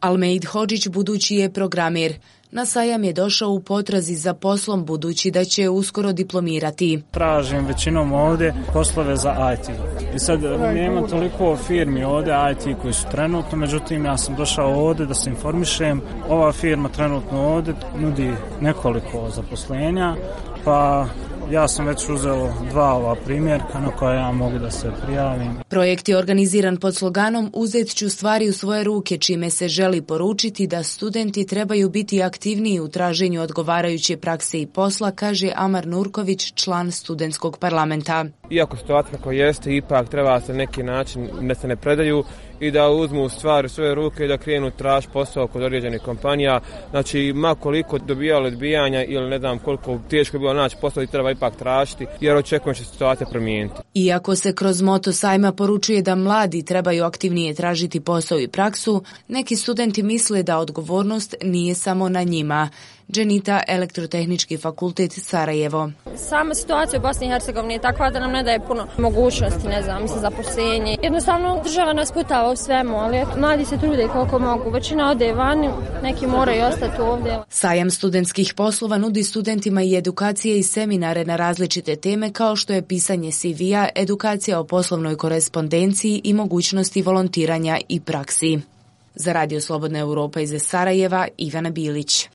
Almeid Hodžić budući je programer. Na sajam je došao u potrazi za poslom budući da će uskoro diplomirati. Tražim većinom ovdje poslove za IT. I sad nema toliko firmi ovdje IT koji su trenutno, međutim ja sam došao ovdje da se informišem. Ova firma trenutno ovdje nudi nekoliko zaposlenja, pa ja sam već uzeo 2 ova primjerka na koja ja mogu da se prijavim. Projekt je organiziran pod sloganom Uzet ću stvari u svoje ruke, čime se želi poručiti da studenti trebaju biti aktivniji u traženju odgovarajuće prakse i posla, kaže Amar Nurković, član studentskog parlamenta. Iako situacija kako jeste, ipak treba se na neki način da se ne predaju i da uzmu stvari u svoje ruke i da krenu tražiti posao kod određenih kompanija. Znači, ma koliko dobijalo odbijanja ili ne znam koliko teško je bilo naći posao i treba ipak tražiti, jer očekujem će se situacija promijeniti. Iako se kroz moto sajma poručuje da mladi trebaju aktivnije tražiti posao i praksu, neki studenti misle da odgovornost nije samo na njima. Dženita, Elektrotehnički fakultet Sarajevo. Sama situacija u Bosni i Hercegovini je takva da nam ne daje puno mogućnosti, za zaposlenje. Jednostavno država nas putava u svemu, ali mladi se trude koliko mogu. Većina ode vani, neki moraju ostati ovdje. Sajam studentskih poslova nudi studentima i edukacije i seminare na različite teme kao što je pisanje CV-a, edukacija o poslovnoj korespondenciji i mogućnosti volontiranja i praksi. Za Radio Slobodna Europa iz Sarajeva, Ivana Bilić.